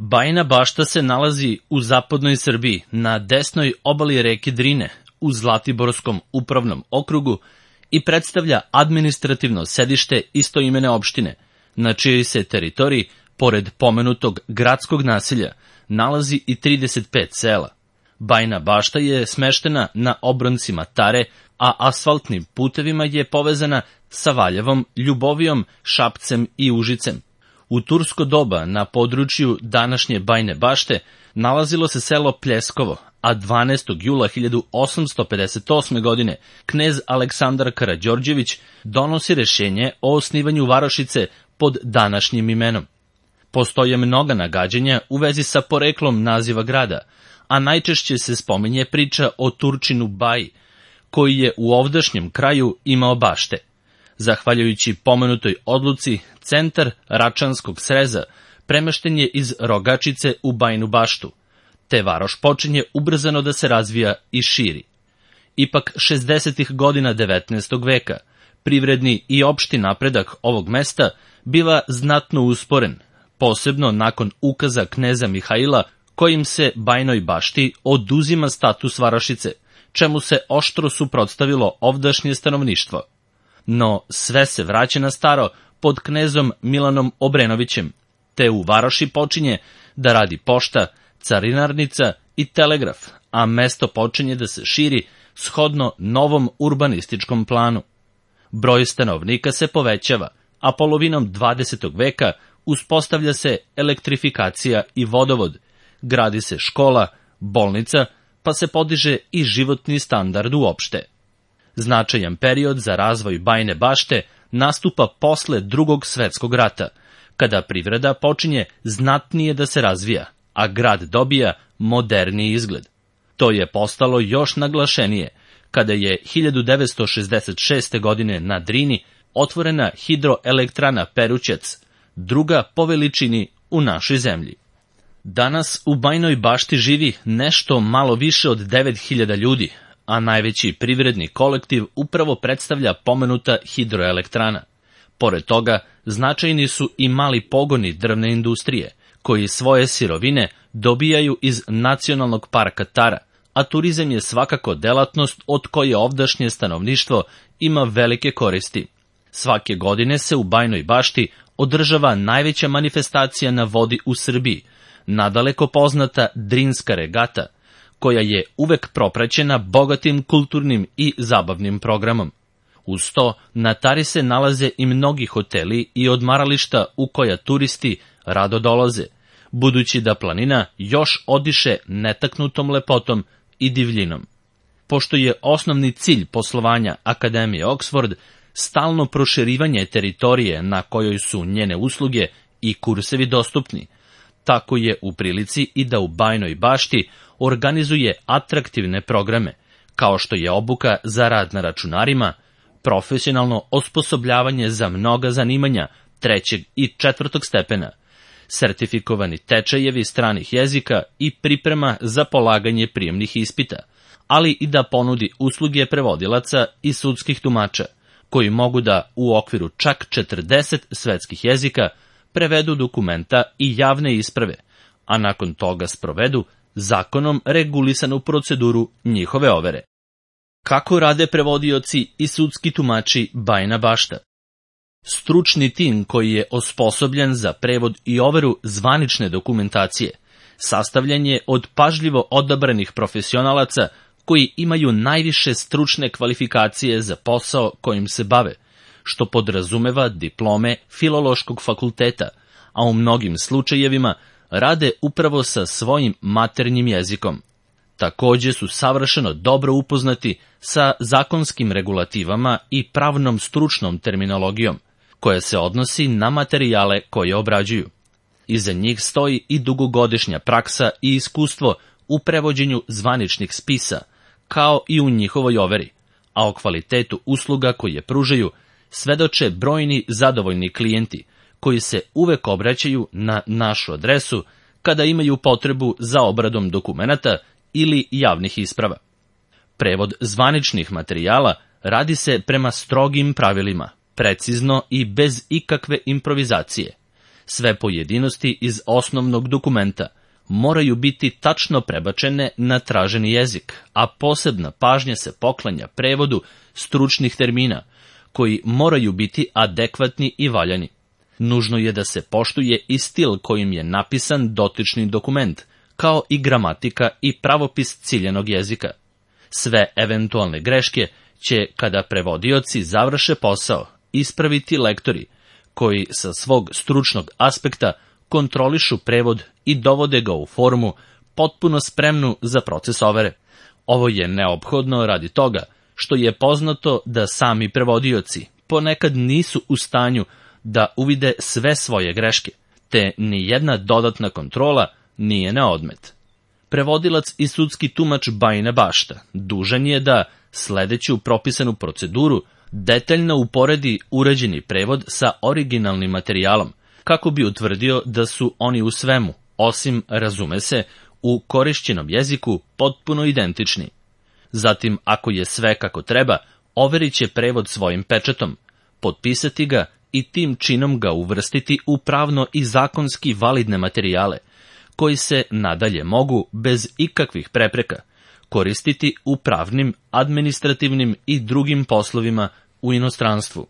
Bajina Bašta se nalazi u zapadnoj Srbiji, na desnoj obali reke Drine, u Zlatiborskom upravnom okrugu i predstavlja administrativno sedište istoimene opštine, na čijoj se teritoriji, pored pomenutog gradskog naselja, nalazi i 35 sela. Bajina Bašta je smeštena na obroncima Tare, a asfaltnim putevima je povezana sa Valjevom, Ljubovijom, Šapcem i Užicem. U tursko doba na području današnje Bajine Bašte nalazilo se selo Pljeskovo, a 12. jula 1858. godine knez Aleksandar Karađorđević donosi rešenje o osnivanju varošice pod današnjim imenom. Postoje mnoga nagađanja u vezi sa poreklom naziva grada, a najčešće se spominje priča o Turčinu Baji, koji je u ovdašnjem kraju imao bašte. Zahvaljujući pomenutoj odluci, centar Račanskog sreza premešten je iz Rogačice u Bajinu Baštu, te varoš počinje ubrzano da se razvija i širi. Ipak 60. godina 19. veka privredni i opšti napredak ovog mesta biva znatno usporen, posebno nakon ukaza kneza Mihaila kojim se Bajinoj Bašti oduzima status varošice, čemu se oštro suprotstavilo ovdašnje stanovništvo. No sve se vraća na staro pod knezom Milanom Obrenovićem, te u varoši počinje da radi pošta, carinarnica i telegraf, a mesto počinje da se širi shodno novom urbanističkom planu. Broj stanovnika se povećava, a polovinom 20. veka uspostavlja se elektrifikacija i vodovod, gradi se škola, bolnica, pa se podiže i životni standard uopšte. Značajan period za razvoj Bajine Bašte nastupa posle Drugog svetskog rata, kada privreda počinje znatnije da se razvija, a grad dobija moderniji izgled. To je postalo još naglašenije kada je 1966. godine na Drini otvorena hidroelektrana Perućac, druga po veličini u našoj zemlji. Danas u Bajinoj Bašti živi nešto malo više od 9000 ljudi, a najveći privredni kolektiv upravo predstavlja pomenuta hidroelektrana. Pored toga, značajni su i mali pogoni drvne industrije, koji svoje sirovine dobijaju iz Nacionalnog parka Tara, a turizam je svakako delatnost od koje ovdašnje stanovništvo ima velike koristi. Svake godine se u Bajinoj Bašti održava najveća manifestacija na vodi u Srbiji, nadaleko poznata Drinska regata, koja je uvek propraćena bogatim kulturnim i zabavnim programom. Uz to, na Tari se nalaze i mnogi hoteli i odmarališta u koja turisti rado dolaze, budući da planina još odiše netaknutom lepotom i divljinom. Pošto je osnovni cilj poslovanja Akademije Oxford stalno proširivanje teritorije na kojoj su njene usluge i kursevi dostupni, tako je u prilici i da u Bajinoj Bašti organizuje atraktivne programe, kao što je obuka za rad na računarima, profesionalno osposobljavanje za mnoga zanimanja 3. i 4. stepena, sertifikovani tečajevi stranih jezika i priprema za polaganje prijemnih ispita, ali i da ponudi usluge prevodilaca i sudskih tumača, koji mogu da u okviru čak 40 svetskih jezika prevedu dokumenta i javne isprave, a nakon toga sprovedu zakonom regulisanu proceduru njihove overe. Kako rade prevodioci i sudski tumači Bajina Bašta? Stručni tim koji je osposobljen za prevod i overu zvanične dokumentacije sastavljen je od pažljivo odabranih profesionalaca koji imaju najviše stručne kvalifikacije za posao kojim se bave, što podrazumeva diplome Filološkog fakulteta, a u mnogim slučajevima rade upravo sa svojim maternjim jezikom. Takođe su savršeno dobro upoznati sa zakonskim regulativama i pravnom stručnom terminologijom, koja se odnosi na materijale koje obrađuju. Iza njih stoji i dugogodišnja praksa i iskustvo u prevođenju zvaničnih spisa, kao i u njihovoj overi, a o kvalitetu usluga koje pružaju svedoče brojni zadovoljni klijenti, koji se uvek obraćaju na našu adresu kada imaju potrebu za obradom dokumenata ili javnih isprava. Prevod zvaničnih materijala radi se prema strogim pravilima, precizno i bez ikakve improvizacije. Sve pojedinosti iz osnovnog dokumenta moraju biti tačno prebačene na traženi jezik, a posebna pažnja se poklanja prevodu stručnih termina, koji moraju biti adekvatni i valjani. Nužno je da se poštuje i stil kojim je napisan dotični dokument, kao i gramatika i pravopis ciljanog jezika. Sve eventualne greške će, kada prevodioci završe posao, ispraviti lektori, koji sa svog stručnog aspekta kontrolišu prevod i dovode ga u formu potpuno spremnu za proces overe. Ovo je neophodno radi toga što je poznato da sami prevodioci ponekad nisu u stanju da uvide sve svoje greške, te ni jedna dodatna kontrola nije na odmet. Prevodilac i sudski tumač Bajine Bašta dužan je da, sledeći u propisanu proceduru, detaljno uporedi urađeni prevod sa originalnim materijalom, kako bi utvrdio da su oni u svemu, osim, razume se, u korišćenom jeziku potpuno identični. Zatim, ako je sve kako treba, overit će prevod svojim pečatom, potpisati ga i tim činom ga uvrstiti u pravno i zakonski validne materijale, koji se nadalje mogu, bez ikakvih prepreka, koristiti u pravnim, administrativnim i drugim poslovima u inostranstvu.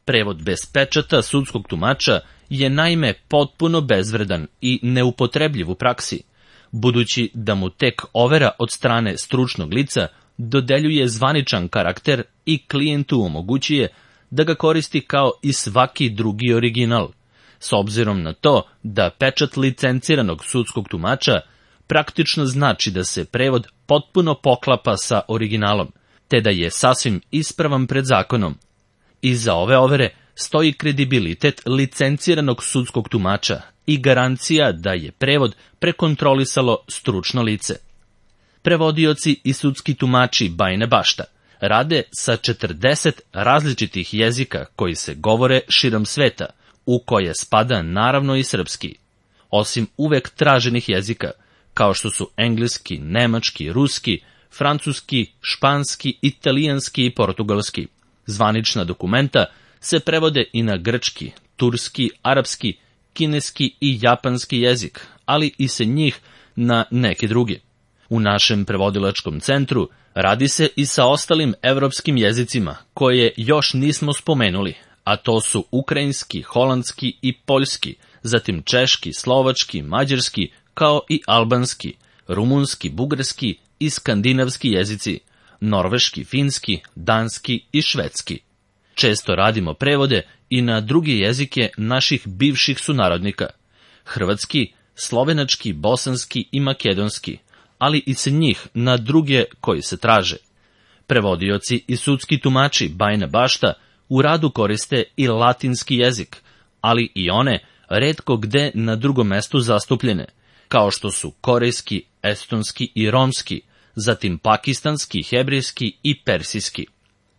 Prevod bez pečata sudskog tumača je naime potpuno bezvredan i neupotrebljiv u praksi, budući da mu tek overa od strane stručnog lica dodeljuje zvaničan karakter i klijentu omogućuje da ga koristi kao i svaki drugi original, s obzirom na to da pečat licenciranog sudskog tumača praktično znači da se prevod potpuno poklapa sa originalom, te da je sasvim ispravan pred zakonom. Iza ove overe stoji kredibilitet licenciranog sudskog tumača i garancija da je prevod prekontrolisalo stručno lice. Prevodioci i sudski tumači Bajine Bašta rade sa 40 različitih jezika koji se govore širom sveta, u koje spada naravno i srpski. Osim uvek traženih jezika, kao što su engleski, nemački, ruski, francuski, španski, italijanski i portugalski. Zvanična dokumenta se prevode i na grčki, turski, arapski, kineski i japanski jezik, ali i se njih na neki drugi. U našem prevodilačkom centru radi se i sa ostalim evropskim jezicima, koje još nismo spomenuli, a to su ukrajinski, holandski i poljski, zatim češki, slovački, mađarski, kao i albanski, rumunski, bugarski i skandinavski jezici, norveški, finski, danski i švedski. Često radimo prevode i na druge jezike naših bivših sunarodnika, hrvatski, slovenački, bosanski i makedonski, ali i sa njih na druge koji se traže. Prevodioci i sudski tumači Bajine Bašta u radu koriste i latinski jezik, ali i one retko gde na drugom mestu zastupljene, kao što su korejski, estonski i romski, zatim pakistanski, hebrejski i persijski.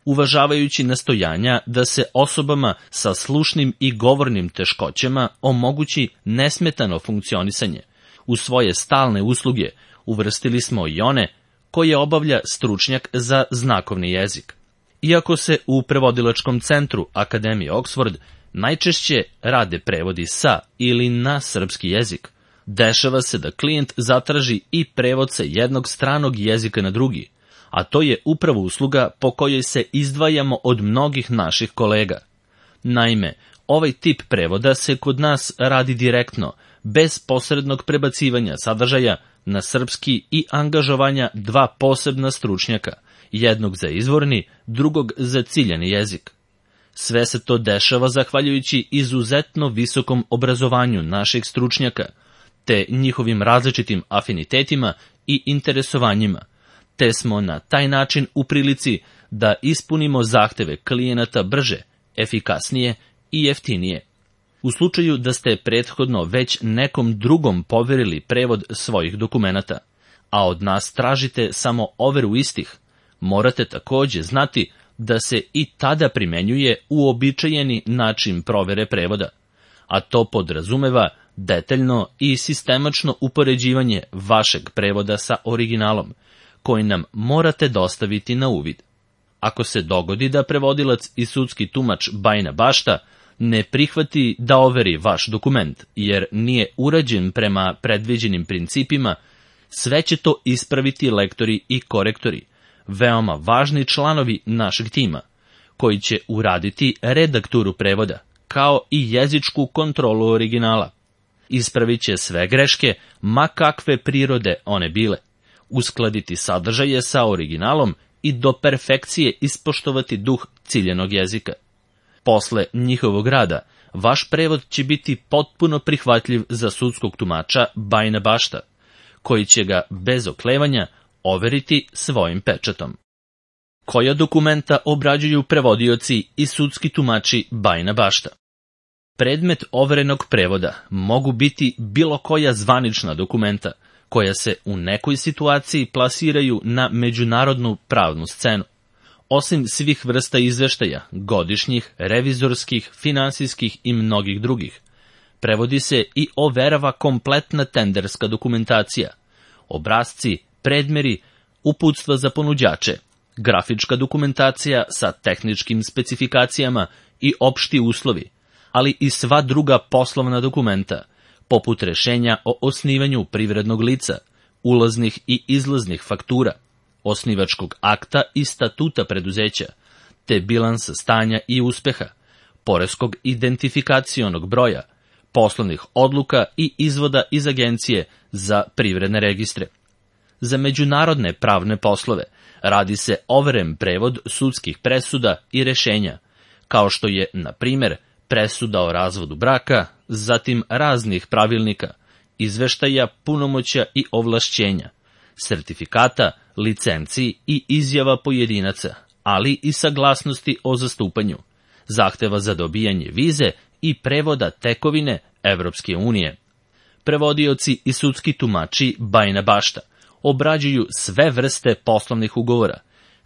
Uvažavajući nastojanja da se osobama sa slušnim i govornim teškoćama omogući nesmetano funkcionisanje, u svoje stalne usluge uvrstili smo i one koje obavlja stručnjak za znakovni jezik. Iako se u prevodilačkom centru Akademije Oxford najčešće rade prevodi sa ili na srpski jezik, dešava se da klijent zatraži i prevod sa jednog stranog jezika na drugi, a to je upravo usluga po kojoj se izdvajamo od mnogih naših kolega. Naime, ovaj tip prevoda se kod nas radi direktno, bez posrednog prebacivanja sadržaja na srpski i angažovanja dva posebna stručnjaka, jednog za izvorni, drugog za ciljani jezik. Sve se to dešava zahvaljujući izuzetno visokom obrazovanju naših stručnjaka, te njihovim različitim afinitetima i interesovanjima, te smo na taj način u prilici da ispunimo zahteve klijenata brže, efikasnije i jeftinije. U slučaju da ste prethodno već nekom drugom poverili prevod svojih dokumenata, a od nas tražite samo overu istih, morate takođe znati da se i tada primenjuje uobičajeni način provere prevoda, a to podrazumeva detaljno i sistemačno upoređivanje vašeg prevoda sa originalom, koji nam morate dostaviti na uvid. Ako se dogodi da prevodilac i sudski tumač Bajina Bašta ne prihvati da overi vaš dokument, jer nije urađen prema predviđenim principima, sve će to ispraviti lektori i korektori, veoma važni članovi našeg tima, koji će uraditi redakturu prevoda, kao i jezičku kontrolu originala. Ispravit će sve greške, ma kakve prirode one bile, uskladiti sadržaje sa originalom i do perfekcije ispoštovati duh ciljenog jezika. Posle njihovog rada, vaš prevod će biti potpuno prihvatljiv za sudskog tumača Bajina Bašta, koji će ga bez oklevanja overiti svojim pečatom. Koja dokumenta obrađuju prevodioci i sudski tumači Bajina Bašta? Predmet overenog prevoda mogu biti bilo koja zvanična dokumenta, koja se u nekoj situaciji plasiraju na međunarodnu pravnu scenu. Osim svih vrsta izveštaja, godišnjih, revizorskih, finansijskih i mnogih drugih, prevodi se i overava kompletna tenderska dokumentacija, obrasci, predmeri, uputstva za ponuđače, grafička dokumentacija sa tehničkim specifikacijama i opšti uslovi, ali i sva druga poslovna dokumenta, poput rešenja o osnivanju privrednog lica, ulaznih i izlaznih faktura, osnivačkog akta i statuta preduzeća, te bilansa stanja i uspeha, poreskog identifikacionog broja, poslovnih odluka i izvoda iz Agencije za privredne registre. Za međunarodne pravne poslove radi se overen prevod sudskih presuda i rešenja, kao što je, na primer, presuda o razvodu braka, zatim raznih pravilnika, izveštaja, punomoćja i ovlašćenja, sertifikata, licenciji i izjava pojedinaca, ali i saglasnosti o zastupanju, zahteva za dobijanje vize i prevoda tekovine Evropske unije. Prevodioci i sudski tumači Bajina Bašta obrađuju sve vrste poslovnih ugovora,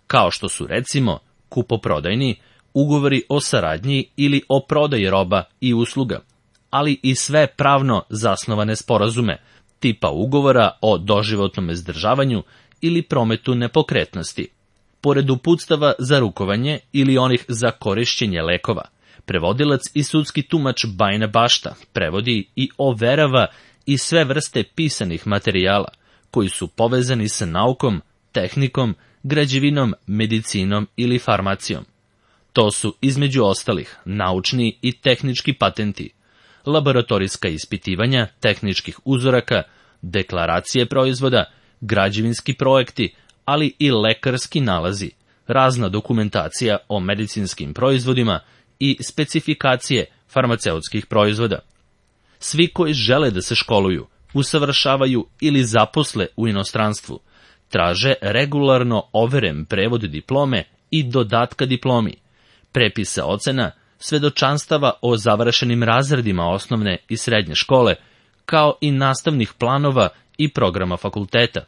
kao što su recimo kupoprodajni, ugovori o saradnji ili o prodaji roba i usluga, ali i sve pravno zasnovane sporazume, tipa ugovora o doživotnom izdržavanju ili prometu nepokretnosti. Pored uputstava za rukovanje ili onih za korišćenje lekova, prevodilac i sudski tumač Bajina Bašta prevodi i overava i sve vrste pisanih materijala, koji su povezani sa naukom, tehnikom, građevinom, medicinom ili farmacijom. To su, između ostalih, naučni i tehnički patenti, laboratorijska ispitivanja tehničkih uzoraka, deklaracije proizvoda, građevinski projekti, ali i lekarski nalazi, razna dokumentacija o medicinskim proizvodima i specifikacije farmaceutskih proizvoda. Svi koji žele da se školuju, usavršavaju ili zaposle u inostranstvu, traže regularno overen prevod diplome i dodatka diplomi, prepisa ocena, svedočanstava o završenim razredima osnovne i srednje škole, kao i nastavnih planova i programa fakulteta,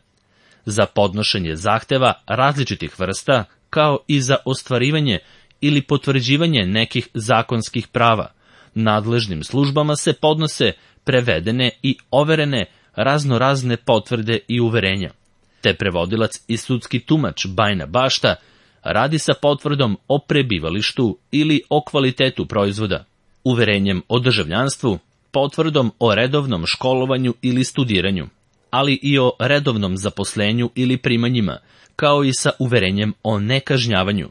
za podnošenje zahteva različitih vrsta, kao i za ostvarivanje ili potvrđivanje nekih zakonskih prava. Nadležnim službama se podnose prevedene i overene raznorazne potvrde i uverenja, te prevodilac i sudski tumač Bajina Bašta radi sa potvrdom o prebivalištu ili o kvalitetu proizvoda, uverenjem o državljanstvu, potvrdom o redovnom školovanju ili studiranju, ali i o redovnom zaposlenju ili primanjima, kao i sa uverenjem o nekažnjavanju,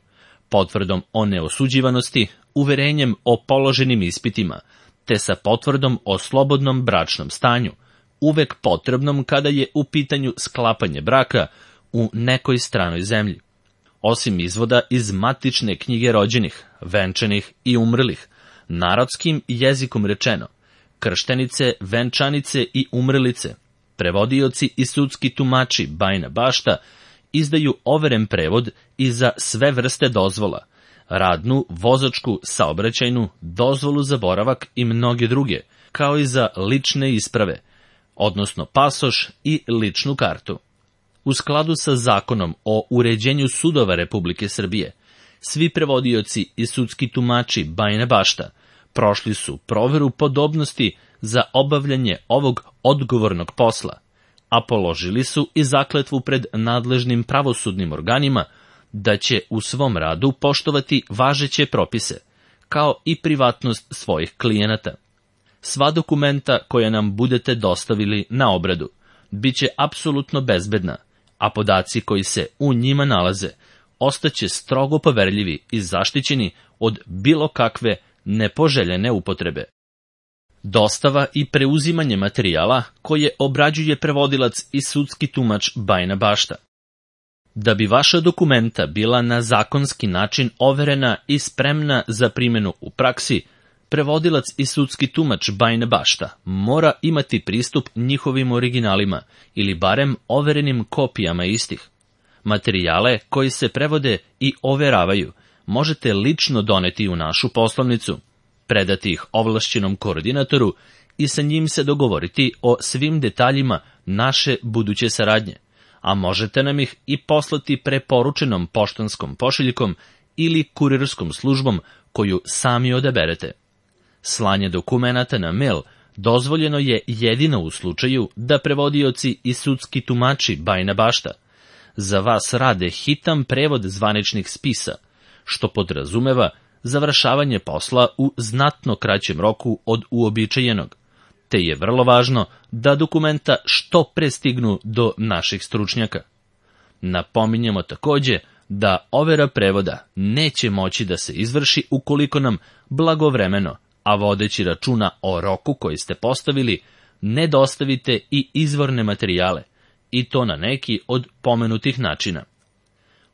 potvrdom o neosuđivanosti, uverenjem o položenim ispitima, te sa potvrdom o slobodnom bračnom stanju, uvek potrebnom kada je u pitanju sklapanje braka u nekoj stranoj zemlji. Osim izvoda iz matične knjige rođenih, venčanih i umrlih, narodskim jezikom rečeno, krštenice, venčanice i umrlice, prevodioci i sudski tumači Bajina Bašta izdaju overen prevod i za sve vrste dozvola, radnu, vozačku, saobraćajnu, dozvolu za boravak i mnoge druge, kao i za lične isprave, odnosno pasoš i ličnu kartu. U skladu sa zakonom o uređenju sudova Republike Srbije, svi prevodioci i sudski tumači Bajina Bašta prošli su proveru podobnosti za obavljanje ovog odgovornog posla, a položili su i zakletvu pred nadležnim pravosudnim organima da će u svom radu poštovati važeće propise, kao i privatnost svojih klijenata. Sva dokumenta koja nam budete dostavili na obradu bit će apsolutno bezbedna, a podaci koji se u njima nalaze ostaće strogo poverljivi i zaštićeni od bilo kakve nepoželjene upotrebe. Dostava i preuzimanje materijala koje obrađuje prevodilac i sudski tumač Bajina Bašta. Da bi vaša dokumenta bila na zakonski način overena i spremna za primjenu u praksi, prevodilac i sudski tumač Bajina Bašta mora imati pristup njihovim originalima ili barem overenim kopijama istih. Materijale koji se prevode i overavaju možete lično doneti u našu poslovnicu, predati ih ovlašćenom koordinatoru i sa njim se dogovoriti o svim detaljima naše buduće saradnje, a možete nam ih i poslati preporučenom poštanskom pošiljkom ili kurirskom službom koju sami odaberete. Slanje dokumenata na mail dozvoljeno je jedino u slučaju da prevodioci i sudski tumači Bajina Bašta za vas rade hitan prevod zvaničnih spisa, što podrazumeva završavanje posla u znatno kraćem roku od uobičajenog, te je vrlo važno da dokumenta što pre stignu do naših stručnjaka. Napominjemo takođe da overa prevoda neće moći da se izvrši ukoliko nam blagovremeno, a vodeći računa o roku koji ste postavili, ne dostavite i izvorne materijale, i to na neki od pomenutih načina.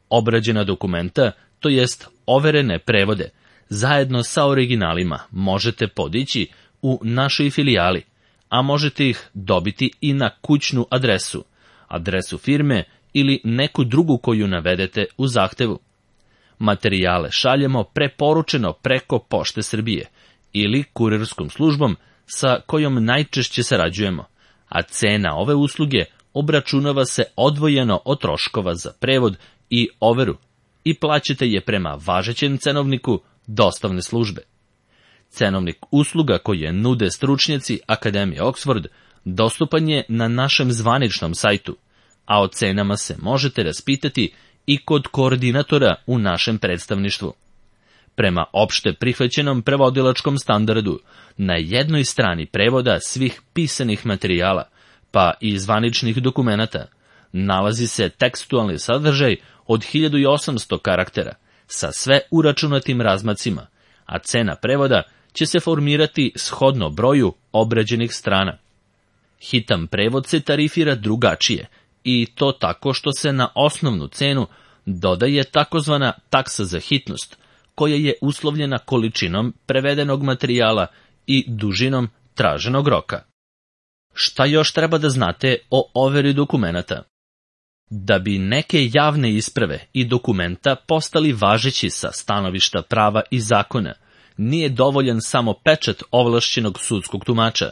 Obrađena dokumenta, to jest overene prevode, zajedno sa originalima možete podići u našoj filijali, a možete ih dobiti i na kućnu adresu firme ili neku drugu koju navedete u zahtevu. Materijale šaljemo preporučeno preko Pošte Srbije ili kurirskom službom sa kojom najčešće sarađujemo, a cena ove usluge obračunava se odvojeno od troškova za prevod i overu i plaćate je prema važećem cenovniku dostavne službe. Cenovnik usluga koje nude stručnjaci Akademije Oxford dostupan je na našem zvaničnom sajtu, a o cenama se možete raspitati i kod koordinatora u našem predstavništvu. Prema opšte prihvaćenom prevodilačkom standardu, na jednoj strani prevoda svih pisanih materijala, pa i zvaničnih dokumenata, nalazi se tekstualni sadržaj od 1800 karaktera sa sve uračunatim razmacima, a cena prevoda će se formirati shodno broju obrađenih strana. Hitan prevod se tarifira drugačije, i to tako što se na osnovnu cenu dodaje takozvana taksa za hitnost, koja je uslovljena količinom prevedenog materijala i dužinom traženog roka. Šta još treba da znate o overi dokumenata? Da bi neke javne isprave i dokumenta postali važeći sa stanovišta prava i zakona, nije dovoljan samo pečat ovlašćenog sudskog tumača,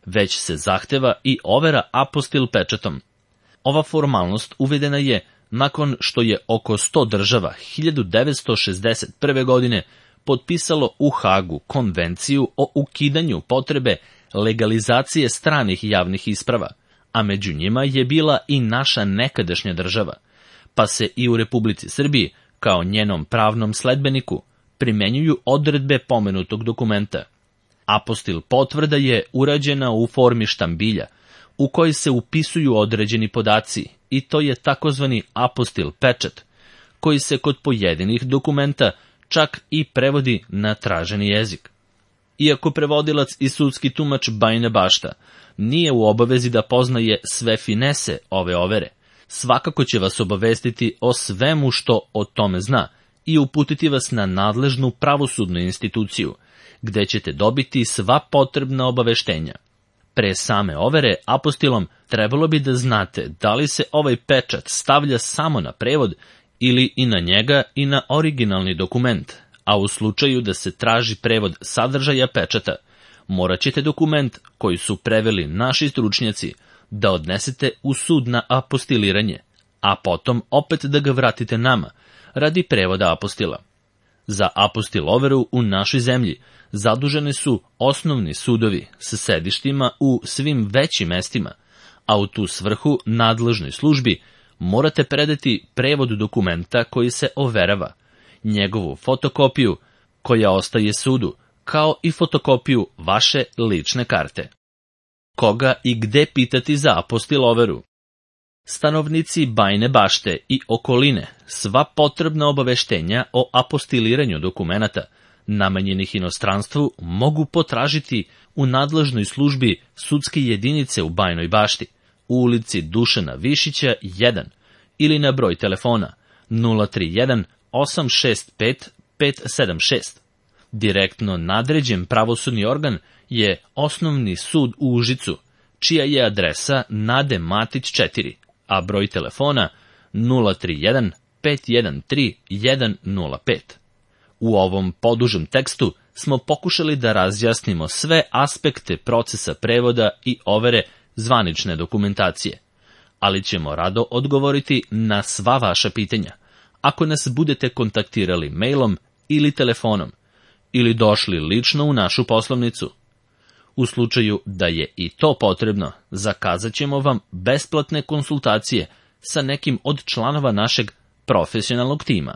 već se zahteva i overa apostil pečatom. Ova formalnost uvedena je nakon što je oko 100 država 1961. godine potpisalo u Hagu konvenciju o ukidanju potrebe legalizacije stranih javnih isprava, a među njima je bila i naša nekadašnja država, pa se i u Republici Srbiji, kao njenom pravnom sledbeniku, primenjuju odredbe pomenutog dokumenta. Apostil potvrda je urađena u formi štambilja, u kojoj se upisuju određeni podaci, i to je takozvani apostil pečat, koji se kod pojedinih dokumenta čak i prevodi na traženi jezik. Iako prevodilac i sudski tumač Bajina Bašta nije u obavezi da poznaje sve finese ove overe, svakako će vas obavestiti o svemu što o tome zna i uputiti vas na nadležnu pravosudnu instituciju, gde ćete dobiti sva potrebna obaveštenja. Pre same overe apostilom trebalo bi da znate da li se ovaj pečat stavlja samo na prevod ili i na njega i na originalni dokument, a u slučaju da se traži prevod sadržaja pečata, morat ćete dokument koji su preveli naši stručnjaci da odnesete u sud na apostiliranje, a potom opet da ga vratite nama radi prevoda apostila. Za apostil overu u našoj zemlji zaduženi su osnovni sudovi sa sedištima u svim većim mestima, a u tu svrhu nadležnoj službi morate predati prevod dokumenta koji se overava, njegovu fotokopiju, koja ostaje sudu, kao i fotokopiju vaše lične karte. Koga i gde pitati za apostiloveru? Stanovnici Bajine Bašte i okoline sva potrebna obaveštenja o apostiliranju dokumenata namenjenih inostranstvu mogu potražiti u nadležnoj službi sudske jedinice u Bajinoj Bašti, u ulici Dušana Višića 1 ili na broj telefona 031 865 576. Direktno nadređen pravosudni organ je Osnovni sud u Užicu, čija je adresa Nade Matić 4, a broj telefona 031 513 105. U ovom podužem tekstu smo pokušali da razjasnimo sve aspekte procesa prevoda i overe zvanične dokumentacije, ali ćemo rado odgovoriti na sva vaša pitanja, ako nas budete kontaktirali mailom ili telefonom, ili došli lično u našu poslovnicu. U slučaju da je i to potrebno, zakazat ćemo vam besplatne konsultacije sa nekim od članova našeg profesionalnog tima.